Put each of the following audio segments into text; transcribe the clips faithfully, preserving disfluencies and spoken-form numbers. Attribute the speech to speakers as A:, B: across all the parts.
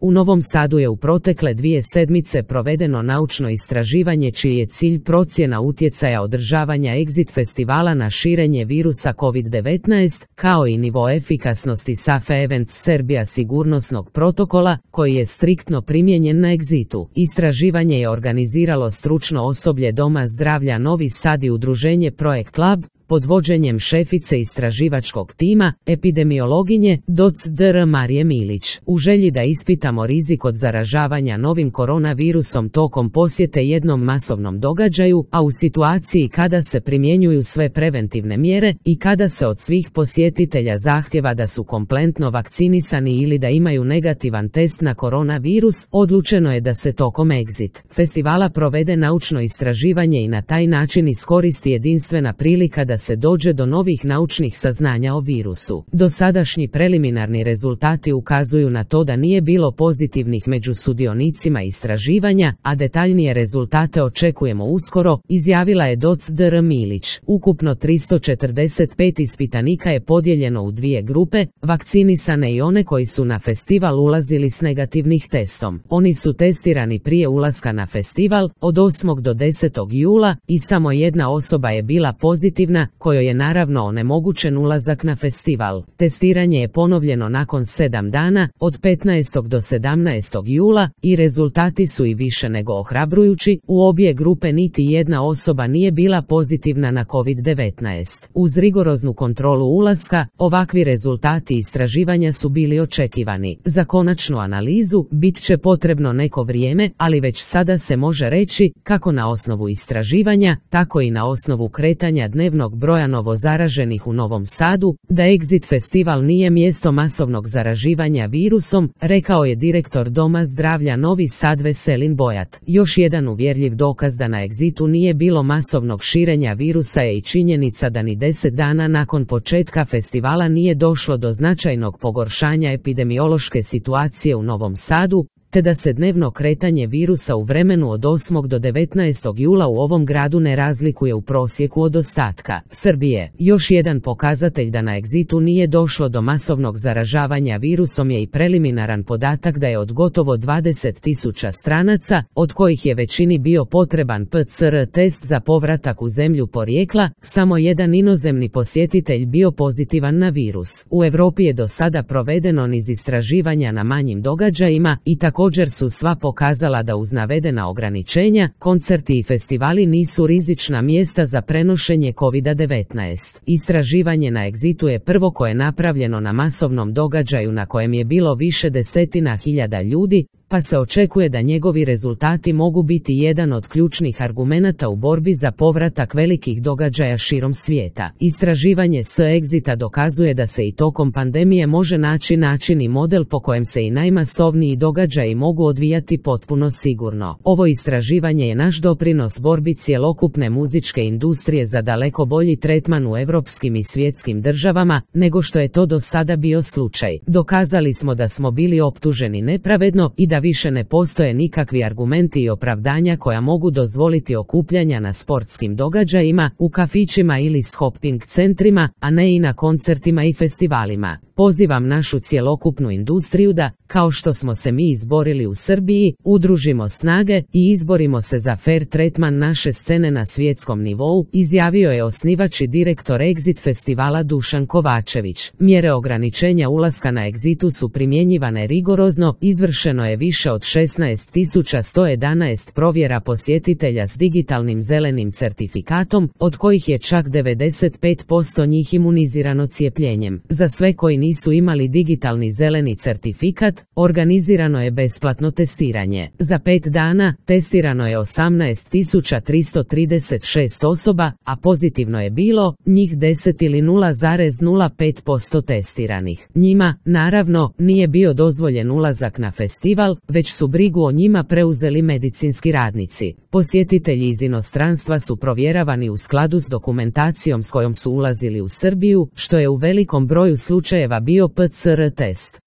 A: U Novom Sadu je u protekle dvije sedmice provedeno naučno istraživanje čiji je cilj procjena utjecaja održavanja Exit festivala na širenje virusa kovid devetnaest, kao i nivo efikasnosti Safe Events Serbia sigurnosnog protokola, koji je striktno primijenjen na Exitu. Istraživanje je organiziralo stručno osoblje Doma zdravlja Novi Sad i udruženje Projekt Lab, pod vođenjem šefice istraživačkog tima, epidemiologinje, doc dr Marije Milić. U želji da ispitamo rizik od zaražavanja novim koronavirusom tokom posjete jednom masovnom događaju, a u situaciji kada se primjenjuju sve preventivne mjere i kada se od svih posjetitelja zahtjeva da su kompletno vakcinisani ili da imaju negativan test na koronavirus, odlučeno je da se tokom Exit festivala provede naučno istraživanje i na taj način iskoristi jedinstvena prilika da se dođe do novih naučnih saznanja o virusu. Dosadašnji preliminarni rezultati ukazuju na to da nije bilo pozitivnih među sudionicima istraživanja, a detaljnije rezultate očekujemo uskoro, izjavila je doc dr Milić. Ukupno tristo četrdeset pet ispitanika je podijeljeno u dvije grupe, vakcinisane i one koji su na festival ulazili s negativnih testom. Oni su testirani prije ulaska na festival, od osmog do desetog jula, i samo jedna osoba je bila pozitivna, kojoj je naravno onemogućen ulazak na festival. Testiranje je ponovljeno nakon sedam dana, od petnaestog do sedamnaestog jula, i rezultati su i više nego ohrabrujući. U obje grupe niti jedna osoba nije bila pozitivna na kovid devetnaest. Uz rigoroznu kontrolu ulaska, ovakvi rezultati istraživanja su bili očekivani. Za konačnu analizu bit će potrebno neko vrijeme, ali već sada se može reći, kako na osnovu istraživanja, tako i na osnovu kretanja dnevnog broja novozaraženih u Novom Sadu, da Exit festival nije mjesto masovnog zaraživanja virusom, rekao je direktor Doma zdravlja Novi Sad Veselin Bojat. Još jedan uvjerljiv dokaz da na Exitu nije bilo masovnog širenja virusa je i činjenica da ni deset dana nakon početka festivala nije došlo do značajnog pogoršanja epidemiološke situacije u Novom Sadu, te da se dnevno kretanje virusa u vremenu od osmog do devetnaestog jula u ovom gradu ne razlikuje u prosjeku od ostatka Srbije. Još jedan pokazatelj da na Exitu nije došlo do masovnog zaražavanja virusom je i preliminaran podatak da je od gotovo dvadeset tisuća stranaca, od kojih je većini bio potreban P C R test za povratak u zemlju porijekla, samo jedan inozemni posjetitelj bio pozitivan na virus. U Europi je do sada provedeno niz istraživanja na manjim događajima i tako Također su sva pokazala da uz navedena ograničenja, koncerti i festivali nisu rizična mjesta za prenošenje kovid devetnaest. Istraživanje na Exitu je prvo koje je napravljeno na masovnom događaju na kojem je bilo više desetina hiljada ljudi, pa se očekuje da njegovi rezultati mogu biti jedan od ključnih argumenata u borbi za povratak velikih događaja širom svijeta. Istraživanje s Exita dokazuje da se i tokom pandemije može naći način i model po kojem se i najmasovniji događaji mogu odvijati potpuno sigurno. Ovo istraživanje je naš doprinos borbi cjelokupne muzičke industrije za daleko bolji tretman u europskim i svjetskim državama, nego što je to do sada bio slučaj. Dokazali smo da smo bili optuženi nepravedno i da više ne postoje nikakvi argumenti i opravdanja koja mogu dozvoliti okupljanja na sportskim događajima, u kafićima ili shopping centrima, a ne i na koncertima i festivalima. Pozivam našu cjelokupnu industriju da, kao što smo se mi izborili u Srbiji, udružimo snage i izborimo se za fair tretman naše scene na svjetskom nivou, izjavio je osnivač i direktor Exit festivala Dušan Kovačević. Mjere ograničenja ulaska na Exitu su primjenjivane rigorozno, izvršeno je više od šesnaest tisuća sto jedanaest provjera posjetitelja s digitalnim zelenim certifikatom, od kojih je čak devedeset pet posto njih imunizirano cijepljenjem. Za sve koji nisu imali digitalni zeleni certifikat, organizirano je besplatno testiranje. Za pet dana testirano je osamnaest tisuća tristo trideset šest osoba, a pozitivno je bilo njih deset ili nula zarez nula pet posto testiranih. Njima, naravno, nije bio dozvoljen ulazak na festival, već su brigu o njima preuzeli medicinski radnici. Posjetitelji iz inostranstva su provjeravani u skladu s dokumentacijom s kojom su ulazili u Srbiju, što je u velikom broju slučajeva bio P C R test.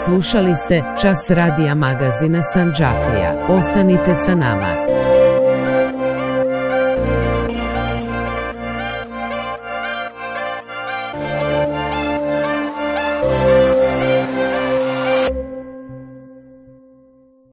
A: Slušali ste Čas radija magazina Sandžaklija. Ostanite sa nama.